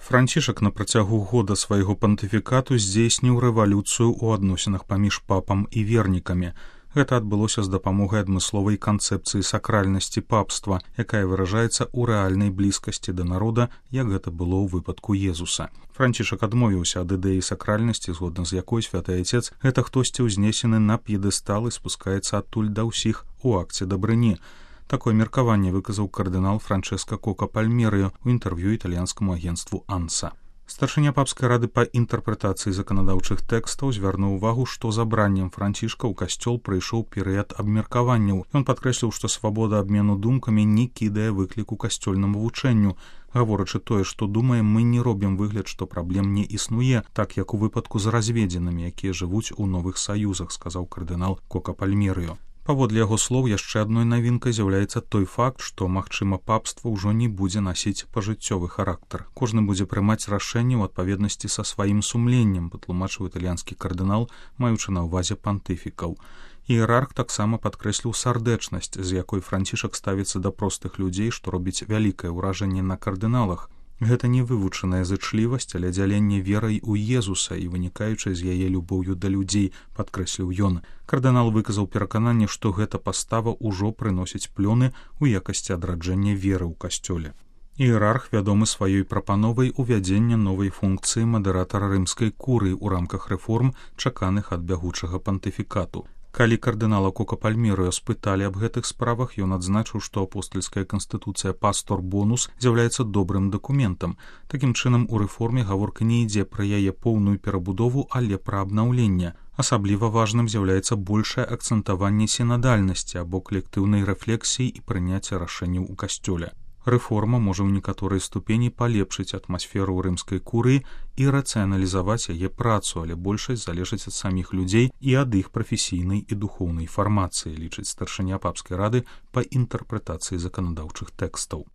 Францішак на працягу года свайго пантыфікату здзейсніў рэвалюцыю ў адносінах паміж папам і вернікамі. Гэта адбылося з дапамогай адмысловай канцэпцыі сакральнасці папства, якая выражаецца ў рэальнай блізкасці да народа, як гэта было ў выпадку Езуса. Францішак адмовіўся ад ідэі сакральнасці, згодна з якой святы Айцец — гэта хтосьці ўзнесены на п'едэстал і спускаецца адтуль да ўсіх у акце дабрыні. Такое меркаванне выказаў кардынал Франчэска Кока Пальмерыо ў інтэрв'ю італьянскаму агенцтву «Анса». Старшыня папскай рады па інтэрпрэтацыі заканадаўчых тэкстаў звярнуў увагу, што забраннем Францішка ў касцёл прыйшоў перыяд абмеркаванняў. Ён падкрэсліў, што свабода абмену думкамі не кідае выкліку касцёльнаму вучэнню. Гаворачы тое, што думаем, мы не робім выгляд, што праблем не існуе, так як у выпадку з разведзенымі, якія жывуць у новых саюзах, сказаў кардынал Кока Пальмерыо. Паводле яго слоў, яшчэ адной навінкай з'яўляецца той факт, што, магчыма, папства ўжо не будзе насіць пажыццёвы характар. Кожны будзе прымаць рашэнне ў адпаведнасці са сваім сумленнем, патлумачыў італьянскі кардынал, маючы на ўвазе пантыфікаў. Іерарх таксама падкрэсліў сардэчнасць, з якой Францішак ставіцца да простых людзей, што робіць вялікае ўражанне на кардыналах. Гэта не вывучаная зычлівасць, але дзяленне верай у Езуса і вынікаючай з яе любоўю да людзей, падкрэсліў ён. Кардынал выказаў перакананне, што гэта пастава ўжо прыносіць плёны ў якасці адраджэння веры ў касцёле. Іерарх вядомы сваёй прапановай увядзення новай функцыі мадэратара рымскай курыі ў рамках рэформ, чаканых ад бягучага пантыфікату. Калі кардынала Кока Пальмерыо спыталі аб гэтых справах, ён адзначыў, што апостальская канстытуцыя «Пастор Бонус» з'яўляецца добрым дакументам. Такім чынам, у рэформе гаворка не ідзе пра яе поўную перабудову, але пра абнаўленне. Асабліва важным з'яўляецца большае акцэнтаванне сінадальнасці або калектыўнай рэфлексіі і прыняцця рашэнняў у касцёле. Рэформа можа ў некаторай ступені палепшыць атмасферу ў рымскай курыі і рацыяналізаваць яе працу, але большасць залежыць ад саміх людзей і ад іх прафесійнай і духоўнай фармацыі, лічыць старшыня папскай рады па інтэрпрэтацыі заканадаўчых тэкстаў.